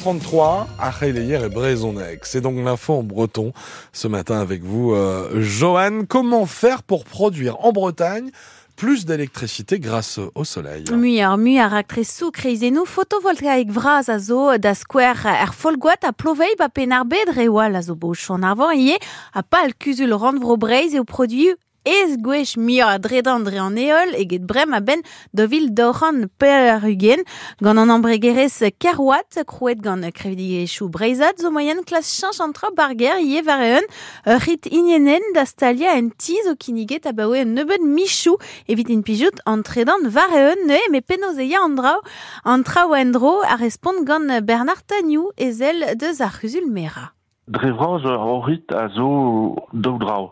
6h33, ar c'heleier e brezhoneg. C'est donc l'info en breton ce matin avec vous, Johan. Comment faire pour produire en Bretagne plus d'électricité grâce au soleil? Muioc'h mui a raktresoù kreizennoù fotovoltaek vras a zo da skouer er Folgoad ha Ploveilh ba Penn-ar-Bed, reoù all a zo bet o chom arvor ivez, ha pal kuzul rannvro Breizh eo produiñ eizh gwech muioc'h a dredan dre an heol eget bremañ a-benn 2024. Gant an embregerezh Kerwatt, krouet gant kevredigezhioù breizhat, zo moaien klask cheñch an traoù ba'r gêr ivez war-eeun. Ur rit hiniennel da staliañ en ti zo kinniget abaoe un nebeud michoù evit implijout an tredan war-eeun neuze, met penaos e ya an draoù an traoù en-dro a respont gant Bernard Tagnou, ezel deus ar c'huzul-merañ. Dre vras hor rit a zo daou dra.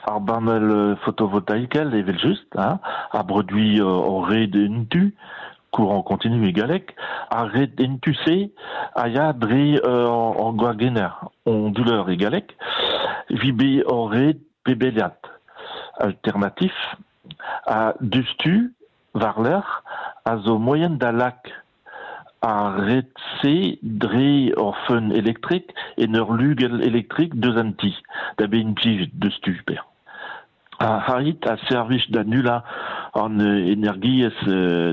Ar banell fotovoltaikel evel-just, hein, a broduit hor red entu, courant continu e galleg. Ar red entu-se a ya dre hor gwagenner, onduleur e galleg, evit bezañ hor red pebeliat alternatif. Ha diouzhtu, war-lerc'h, a zo moaien da lak Ar red-se dre ur feun elektrik en ur lugell elektrik deus an ti, da bet implijet diouzhtu per. Ar c'harit a servij da nullañ an energiezh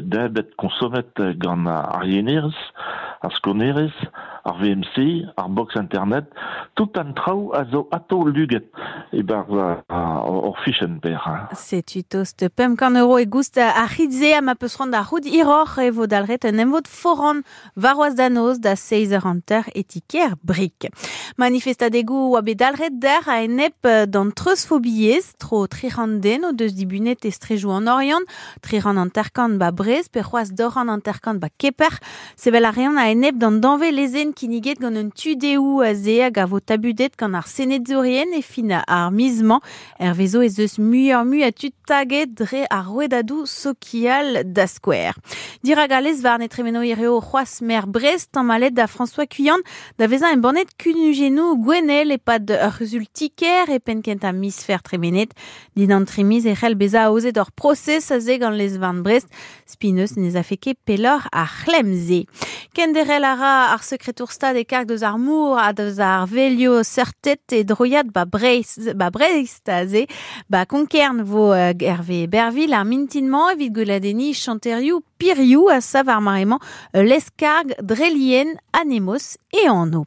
debret konsomet gant ar yenerezh, ar skonerezh, ar VMC, ar box internet, tout an traoù a zo atav luget e-barzh hor fichenn per. Setu tost 500 euro e goust ar c'hit-se ha ma peus c'hoant da c'hoût hiroc'h e vo dalc'het un emvod foran warc'hoazh da noz da 7h30 e ti-kêr Brieg. Manifestadegoù oa bet dalc'het dec'h a-enep d'an treuzfobiezh. Tro 300 den o deus dibunet e strejoù an Oriant, 350 ba Brest pe c'hoazh 250 ba Keper. Sevel a reont a-enep d'an danvez lezenn kinniget gant un tu-dehoù aze hag a vo tabudet gant ar senedourien e fin ar miz-mañ. Hervezo ez eus muioc'h-mui a tud taget dre ar rouedadoù sokial da skouer. Dirak al lez-varn e tremeno hirio c'hoazh maer Brest tamallet da François Cuillan da vezañ embannet kunujennoù gouennel e-pad ur c'huzul ti-kêr e penn-kentañ miz Fer tremenet. Dindan tri miz e c'hell bezañ aozet ur prosez aze gant lez-varn Brest. Spineus ne afe ket pelloc'h ar c'hlemm-se. Kenderc'hel a ra ar sekretour-stad e karg deus ar mor ha deus ar velio seurted e droiad ba Breizh, ba Brest aze. Ba Konkern vo Hervé Berville ar mintin-mañ evit gweladenniñ chanterioù Piriou a sav ar mare-mañ ul lez-karg dre lien Anemos e anv.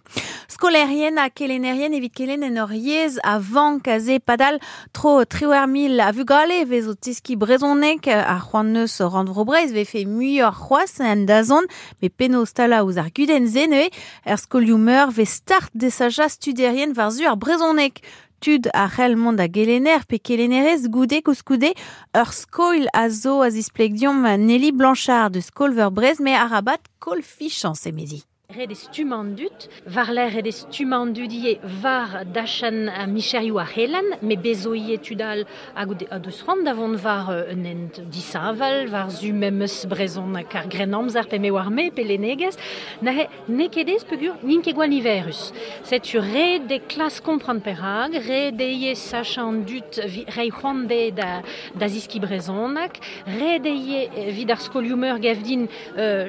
Skolaerien ha kelennerien evit kelenn en ur yezh a vank aze padal Tro 18,000 a vugale e vez o teskiñ brezhoneg. Ar c'hoant neus Rannvro Breizh vefe muioc'h c'hoazh en dazont, met penaos talañ ouzh ar gudenn-se neuze? Er skolioù-meur vez start desachañ studierien war-zu ar brezhoneg. Tud a c'hell mont da gelenner pe kelennerez goude koulskoude. Ur skoilh a zo a zispleg deomp Nelly Blanchard deus Skol-Veur Brest, met arabat koll fichañs emezi. Ret eo stummañ an dud, war-lerc'h ret eo stummañ an dud ivez war dachenn micherioù ar c'helenn, met bez zo ivez tud all hag o deus c'hoant da vont war un hent disheñvel, war-zu memes brezhoneg ar Grennamzer pe me oar-me pe lennegezh. Neuze n'eo ket aes peogwir n'int ket gwall niverus. Setu ret eo klask kompren perak, ret eo ivez sachañ an dud reiñ c'hoant dezhe da zeskiñ brezhoneg, ret eo ivez evit ar skolioù-meur gav din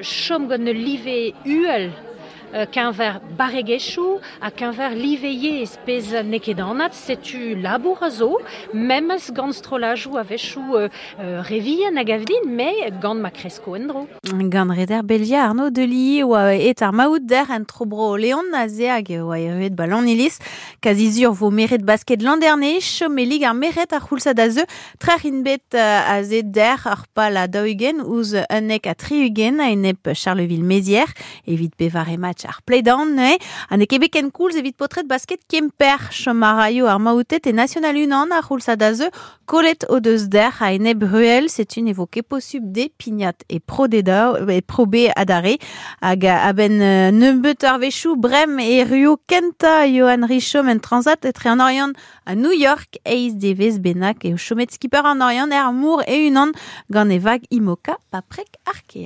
chom gant ul live uhel keñver barregezhioù ha keñver live yezh, pezh n'eo ket anat, setu labour a zo, memes gant strollajoù a-wechoù re vihan a gav din, met gant ma kresko en-dro. Gant reder Belgia Arnaud Delis oa aet ar maout dec'h en tro-bro Leon aze hag e oa erruet ba Lanniliz. Kazi sur vo meret basket Landerne, chom e lig ar merc'hed ar c'houlzad a zeu. Trec'h int bet aze dec'h ur pal a 40 ouzh 71 a-enep Charleville-Mézières evit pevare match ar play-down neuze. Ha n'eo ket bet ken koulz evit paotred basket Kemper. Chom a raio ar maouted e National unan ar c'houlzad a zeu. Kollet o deus dec'h a-enep Ruel, setu ne vo ket posubl dezhe pignat e Pro D2, e Pro B adarre. Hag a-benn nebeut eurvezhioù brem e erruo kentañ Johan Richom en Transat etre an Oriant A New York, eizh devezh bennak eo chomet skipper an Oriant er mor e-unan gant e vag Imoca paprec Arkea.